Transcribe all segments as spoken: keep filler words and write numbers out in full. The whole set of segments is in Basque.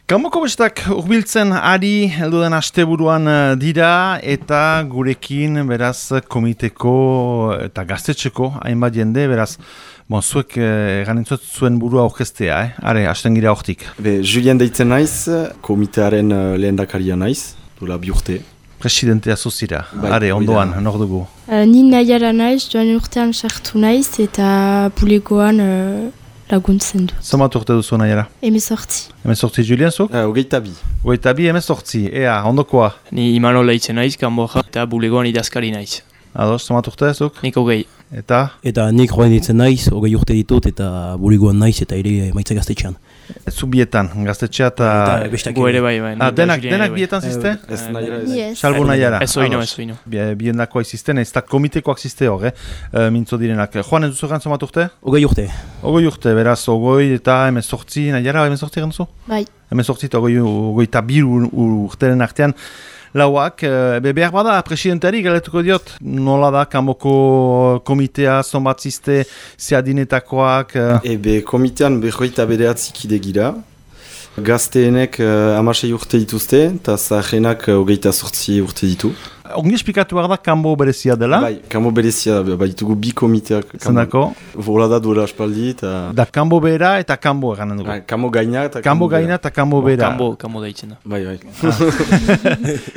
Kanboko bestak urbiltzen ari heldu den asteburuan dira eta gurekin beraz komiteko eta gaztetxeko hainbat jende beraz bon, zuek eganintzot eh, zuen burua aurkeztea, eh? Are, hasten gira hortik. Be, Julien deitzen naiz, komitearen uh, lehendakaria naiz, duela bi urte. Presidentea zuzira, bai, are, ondoan, nor dugu. Uh, ni nahiara naiz, joan urtean sartu naiz eta bulegoan uh, laguntzen dut. Zomat urte duzu nahiara? Hemezortzi. Hemezortzi, Julien, zuk? Uh, Ogeita bi. Ogeita bi, hemezortzi, ea, ondokoa? Ni Imanol leitzen naiz, kanboja, eta bulegoan idazkari naiz. Ados, zomat urte zuk? Nik hogei. Eta? Eta nik joan ditzen naiz, hogei urte ditut eta bulegoan naiz eta ere maitza gaztetxean. Zu bietan, gaztetxea eta... Gu ere bai, bai. Ah, denak, denak bietan ziste? Ez nahiara ez. Yes. Salbo nahiara. Ez oino, ez oino. Bien dakoa izisten, ez da komitekoak ziste hor, eh? E, mintzo direnak. Joan ez duzu gantzon bat urte? Hogei urte. Ogoi urte, beraz, ogoi eta hemezortzi, nahiara hemezortzi gantzu? Bai. Hemezortzi eta ogoi, ogoi eta bir urteren artean. Lauak, be behar bada, presidenteari galetuko diot, nola da, kanboko komitea, zonbat ziste, zeadinetakoak... Ebe, komitean behoita bereatzikide gira. Gazteenek uh, amasei urte dituzte, eta zahenak uh, hogeita sortzi urte ditu. Ongi esplikatu behar da, kanbo berezia dela? Bai, kanbo berezia, bai ditugu bi komiteak. Zendako? Vola da duela aspaldi, eta... Da kanbo bera eta kanbo eganen dugu. Ba, kanbo gaina eta kanbo gaina eta kanbo bera. Kanbo, kanbo deitzen da. Bai, bai.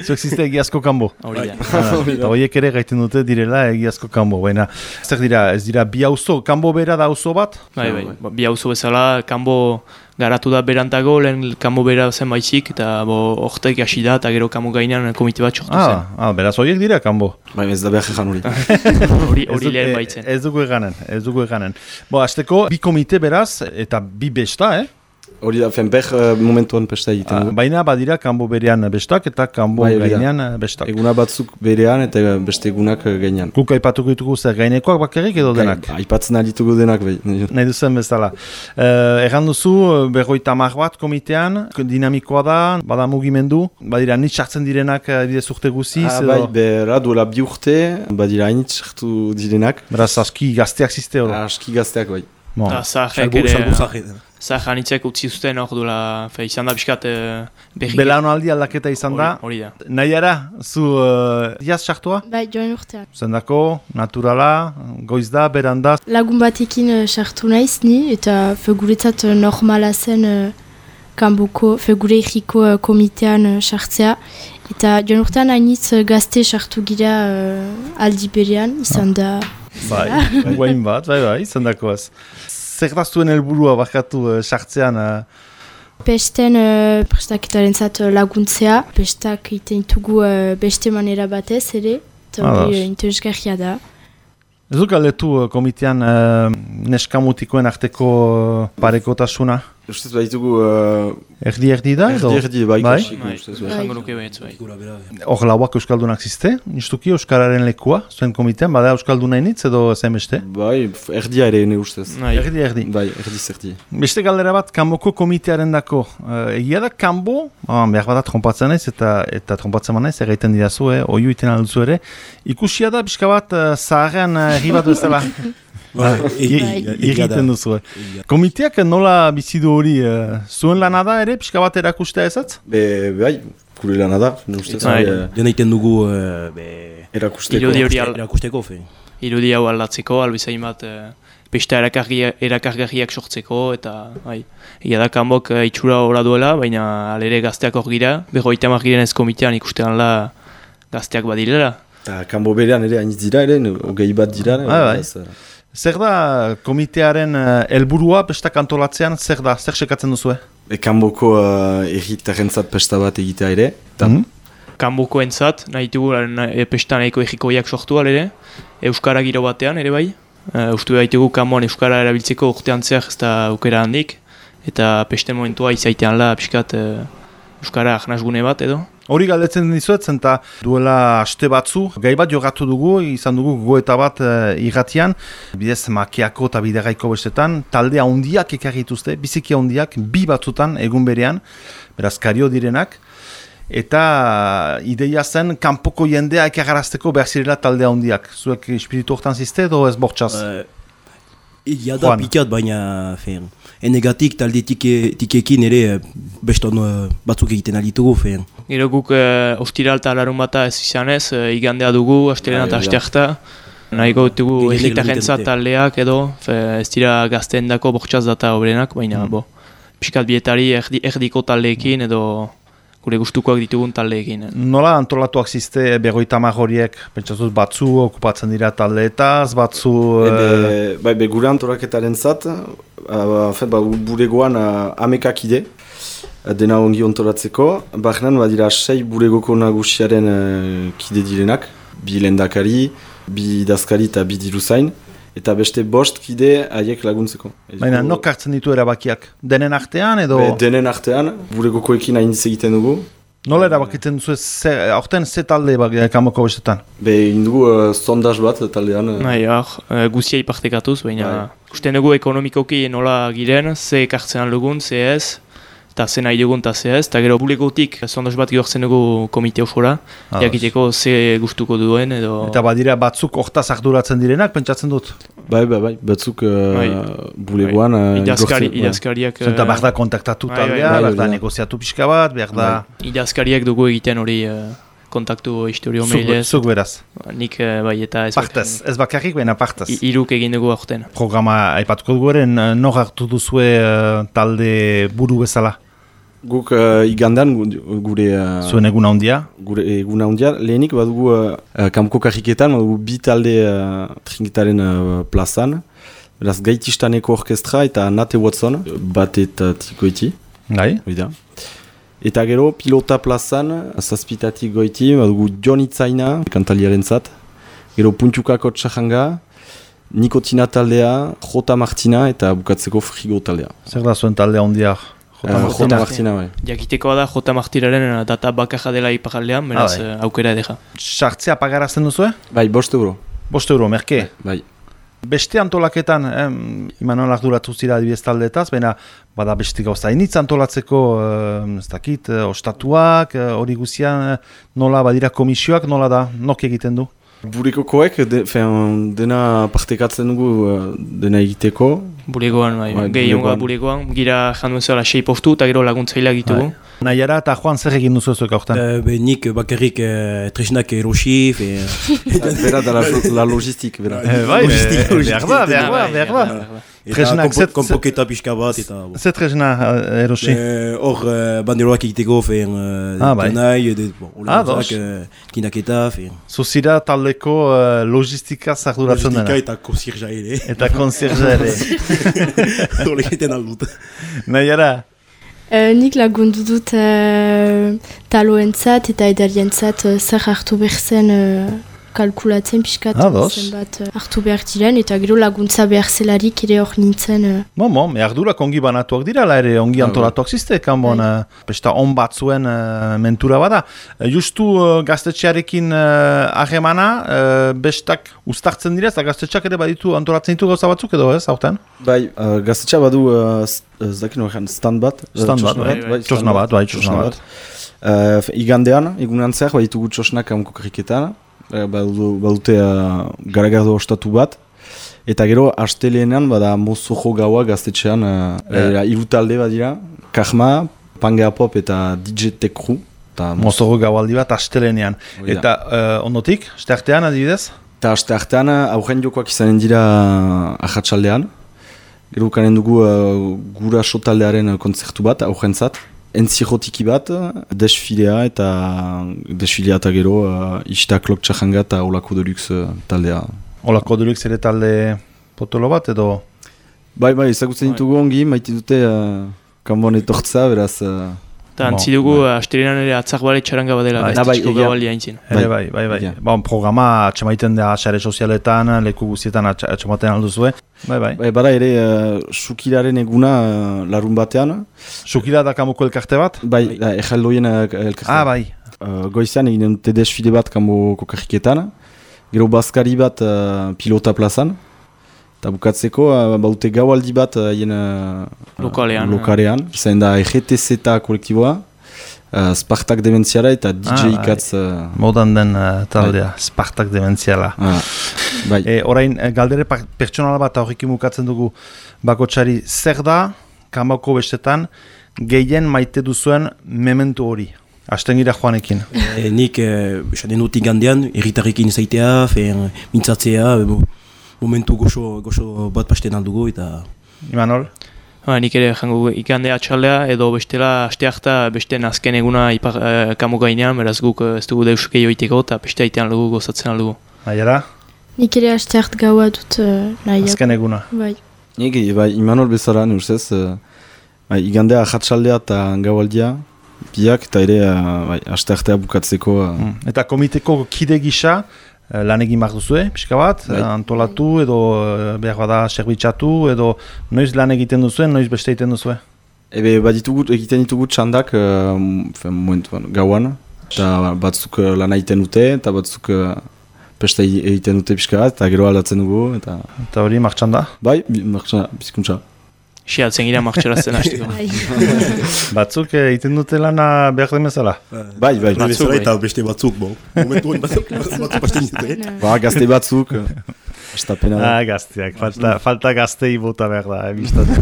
Zuek ziste egiazko kanbo. Hori da. Eta horiek ere gaiten dute direla egiazko kanbo. Baina, zer dira, ez dira bi auzo, kanbo bera da auzo bat? Bai, bai. Bi auzo bezala, kanbo garatu da berantago, lehen kanbo bera zen baizik, eta bo, ortek hasi da, eta gero kanbo gainean komite bat sortu zen. Ah, ah, beraz horiek dira kanbo. Bai, ez da behar egan hori. Hori hori lehen baitzen. Ez dugu eganen, ez dugu eganen. Bo, azteko, bi komite beraz, eta bi besta, eh? Hori da, fen beh uh, momentuan pesta egiten. Ah, baina badira kanbo berean bestak eta kanbo Bai, gainean bestak. Eguna batzuk berean eta beste egunak gainean. Guk aipatuko ditugu zer gainekoak bakarrik edo denak? Gai, aipatzen aditugu denak. Bai. Nahi duzen bezala. Uh, Erran duzu, berroita hamar bat komitean, dinamikoa da, bada mugimendu, badira nitz sartzen direnak bidez urte guziz. Ah, edo... bai, bera duela bi urte, badira hainitz sartu direnak. Beraz, aski gazteak ziste hori. Aski gazteak, bai. Bon. Da, zahek ere... Zahek anitzek utzi zuten hor duela, fe, izan da biskat uh, berri. Belaunaldi aldaketa izan da. Hori da. Nahiara, zu uh, diaz sartua? Bai, joan urtean. Zendako, naturala, goiz da, beranda. Lagun batekin uh, sartu naiz ni, eta fe guretzat uh, normala zen uh, kanboko, fe gure egiko uh, komitean uh, sartzea. Eta joan urtean hainitz uh, gazte sartu gira uh, aldi berean, izan da... Bai, guain bat, bai, bai, izan dakoaz. Zer da zuen helburua bakatu uh, sartzean? Uh... Pesten uh, prestaketaren zat uh, laguntzea, pestak iten ditugu uh, beste manera batez ere, eta hori uh, interesgarria da. Ez duk aldetu uh, komitean uh, neskamutikoen arteko uh, parekotasuna? Ustez baitugu... Uh, erdi-erdi da? Erdi-erdi, bai, bai. ustez bai. Jango nuke behetz, bai. Hor lauak euskaldunak ziste, justuki euskararen lekua, zuen komitean, bada euskalduna initz edo zen beste? Bai, erdia ere ne ustez. Erdi-erdi. Bai, erdi-zerdi. Beste galdera bat, kanboko komitearen dako. Uh, egia da kanbo, oh, behar bat trompatzen naiz eta eta trompatzen manaiz, erraiten didazu, eh, oiu iten alduzu ere, ikusia da pixka bat uh, zaharrean herri bat bezala. Egiten duzu. Komiteak nola bizidu hori, uh, zuen lana da ere, pixka bat erakustea ezatz? Be, bai, gure lana da, ustez. Dena iten dugu erakusteko. Erakusteko, fe. Irudi hau aldatzeko, albizain bat pesta erakargarriak sortzeko, eta bai, egia da kanbok itxura hori duela, baina alere gazteak hor gira, berroita hamar giren ez komitean ikustean la gazteak badirela. Eta kanbo berean ere hainitz dira ere, hogei bat dira. Zer da komitearen helburua pesta kantolatzean, zer da, zer sekatzen duzu? E, kanboko uh, erritarrentzat pesta bat egitea ere. Mm -hmm. Kanboko entzat, nahi dugu e, pesta nahiko errikoiak sortu alere, Euskara giro batean ere bai. Uh, ustu behitugu kanboan Euskara erabiltzeko urtean zer ez da aukera handik, eta pesten momentua izaitean la piskat uh, Euskara ahnazgune bat edo. Hori galdetzen dizuet, zenta duela aste batzu, gai bat jogatu dugu, izan dugu goeta bat uh, irratian, bidez makiako eta bideraiko bestetan, talde handiak ekarri dituzte, biziki handiak, bi batzutan egun berean, beraz kario direnak, eta ideia zen kanpoko jendea ekarrarazteko behar zirela talde handiak. Zuek espiritu hortan ziste edo ez bortxaz? Uh, Egia da, pikat, baina fen, enegatik talde tike, tikekin ere beston uh, batzuk egiten alitugu. Fen. Gero guk uh, ostiral eta larun bata ez izanez, uh, igandea dugu, astelena eta asteakta. Nahiko dugu elektarentzat taldeak edo, fe, ez dira gazteen dako bortxaz data obrenak, baina mm. bo, piskat bietari erdi, erdiko taldeekin edo gure gustukoak ditugun taldeekin. Nola antolatuak ziste berroita hamar horiek, pentsatuz batzu okupatzen dira taldeetaz, batzu... Ebe, bai, be, gure antolaketaren zat, uh, fet, ba, buregoan uh, amekak ide, dena ongi ontolatzeko, bahnan badira sei buregoko nagusiaren uh, kide direnak, bi lendakari, bi idazkari eta bi diruzain, eta beste bost kide haiek laguntzeko. Baina, nok hartzen ditu erabakiak? Denen artean edo? Be, denen artean, buregokoekin hainitz egiten dugu. Nola erabakitzen duzu, aurten ze talde kamoko bestetan? Be, indugu uh, sondaz bat taldean. Nahi, uh, guzia ipartekatuz, baina uste dugu ekonomikoki nola giren, ze ekartzen aldugun, ze ez, eta ze nahi dugun eta ze ez, eta gero bulegotik sondaz bat gehortzen dugu komite osora, jakiteko ze gustuko duen edo... Eta badira batzuk hortaz arduratzen direnak, pentsatzen dut? Bai, bai, bai, batzuk uh, bai. bulegoan... Uh, Idazkari, idazkariak... Zenta behar da kontaktatu taldea, behar da negoziatu pixka bat, behar da... Idazkariak dugu egiten hori uh, kontaktu historio mailez. Zuk beraz? Nik uh, bai eta ez... Partez, ez bakarrik baina partez. Iruk egin dugu aurten. Programa aipatuko dugu eren, nor hartu duzue uh, talde buru bezala? Guk uh, igandan gure... Uh, Zuen eguna hundia? Gure eguna hundia. Lehenik badugu uh, kamko karriketan, badugu bi talde uh, trinketaren uh, plazan. Beraz, Gaitistaneko orkestra eta Nate Watson, bat eta goiti. Gai? Oida. Eta gero, pilota plazan, zazpitatik goiti, badugu Jon Itzaina, kantaliaren zat. Gero, Puntukako Txahanga, Nikotina taldea, Jota Martina eta bukatzeko Frigo taldea. Zer da zuen taldea hundia? Jota uh, Martina, Martina bai. Jakitekoa da Jota Martiraren data bakarra dela iparaldean, beraz ah, bai. aukera edera. Sartzea pagarazten duzue? Bai, bost euro. Bost euro, merke? Bai. Beste antolaketan, eh, Imanol arduratu zira adibidez taldeetaz, baina bada beste gauza initz antolatzeko, eh, ez dakit, eh, ostatuak, hori eh, guzian, eh, nola badira komisioak, nola da, nok egiten du? Burekokoek, de, fean, dena partekatzen dugu, dena egiteko. Bulegoan, bai, bai gehionga bulegoan, gira janduen zela sei postu eta gero laguntzaila egitugu. Bai. Nahiara eta Juan zer egin duzu zuek aurten? Uh, be, nik bakarrik uh, tresnak erosi. Bera da la, la logistik, bera. Eh, bai, behar da, behar da, behar da. Tresnak, konpoketa pixka bat eta... Zer tresna erosi? Hor uh, banderoak egiteko, fein, uh, ah, bai. Tanai, ah, dos. Tinaketa, fein. Zuzira taldeko uh, logistika zarduratzen dena. Logistika eta konsirja ere. Eta konsirja ere. Hor egiten aldut. Nahiara? Uh, nik lagundu dut uh, taloentzat eta edarientzat uh, zer hartu behar zen uh, kalkulatzen pixkat zenbat uh, hartu behar diren eta gero laguntza behar zelarik ere hor nintzen. Uh. Bon, bon, erdurak ongi banatuak dirala ere, ongi antolatuak ziste, kanbon, uh, pesta on batzuen uh, mentura bada. Uh, justu uh, gaztetxearekin harremana, uh, uh, bestak ustartzen dira, eta gaztetxeak ere baditu antolatzen ditu gauza batzuk edo ez, hauten? Bai, uh, gaztetxea badu uh, ez dakit norean, stand bat. Stand bat, bai, txosna bat, bai, txosna bat. Uh, igandean, egunan zer, bai ditugu txosnak amko karriketan, uh, badute uh, garagardo ostatu bat, eta gero, asteleenan, bada mozojo gaua gaztetxean, uh, yeah. uh, irutalde badira, Karma, Pangea Pop eta D J Tekru. Mozojo gaualdi bat, asteleenean. Eta uh, ondotik, asteartean adibidez? Eta asteartean, aurren jokoak izanen dira ahatsaldean. Gero kanen dugu uh, gura sotaldearen kontzertu bat, aurrentzat. Entzirotiki bat, desfilea eta desfilea eta gero uh, Ista Klok Txahanga eta Olako Deluxe uh, taldea. Olako Deluxe ere talde potolo bat edo? Bai, bai, ezagutzen ditugu ongi, maite dute uh, kanbon etortza, beraz... Uh, Eta antzi dugu, astelenan ere atzak bale txaranga badela, gaztetxeko gabaldi haintzin. Bai, bai, bai, bai. Bon, programa atxamaiten da xare sozialetan, leku guztietan atxamaten alduzue. Bai, bai. Bai, bada ere, uh, Sukilaren eguna uh, larun batean. Sukila da kamuko elkarte bat? Bai, da, ejaldoien elkarte. Ah, bai. Uh, goizean eginen dute desfile bat kamuko karriketan. Gero bazkari bat uh, pilota plazan. Eta bukatzeko, uh, baute gaualdi bat haien uh, lokalean. lokalean. Zain da E G T Z kolektiboa, uh, Spartak Dementziala eta D J Ah, Katz... Uh, Modan den uh, taldea, Spartak Dementziala. ah, bai. E, orain, eh, galdere pa- pertsonala bat horrekin bukatzen dugu bakotxari, zer da, kanboko bestetan, gehien maite duzuen mementu hori? Asten gira Joanekin. E, nik, e, esaten dut igandean, erritarrekin zaitea, fen, mintzatzea, e, bo, momentu goxo, goxo bat pasten aldugu eta... Imanol? Ba, nik ere jango ikandea atxaldea edo bestela asteak eta beste azken eguna ipar uh, kamo gainean, beraz guk uh, ez dugu deus gehiago iteko eta beste aitean dugu gozatzen aldugu. Aiera? Nik ere asteart gaua dut uh, nahiak. Azken eguna. Bai. Nik, bai, Imanol bezala, ne ustez, uh, bai, igandea ahatsaldea eta gaualdia, biak eta ere uh, bai, asteartea bukatzeko... Uh, Mm. Eta komiteko kide gisa, eh, lan egin behar duzue, pixka bat, Bai. eh, antolatu edo eh, behar bada serbitzatu edo noiz lan egiten duzuen, noiz beste egiten duzue. Ebe, bat ditugu, egiten ditugu txandak uh, fen, momentu, gauan, eta batzuk uh, lan egiten dute, eta batzuk uh, pesta egiten dute pixka bat, eta gero aldatzen dugu, eta... Eta hori martxan da. Bai, bi- martxa, bizkuntza. Siatzen gira martxerazten hasteko. Bai. Batzuk eh, egiten dute lana behar den bezala. Bai, bai. Batzuk, Bezala bai. eta beste batzuk, bon. Momentu hori batzuk, batzuk pasten dute. Ba, gazte batzuk, uh, estapena da. Ah, gazteak, falta, falta gaztei bota behar da, ebistat.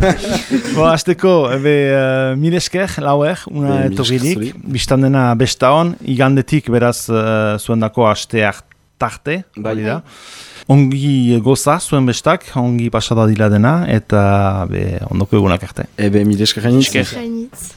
Bo, azteko, ebe, uh, mil esker, lauer, una Be, mil esker etorririk, zuri. biztan dena besta hon, igandetik beraz uh, zuen dako asteak tarte, Bai. hori da. Ongi goza zuen bestak, ongi pasada dila dena, eta be, ondoko egunak arte. Ebe, mil esker gainitz. Esker. Gainitz.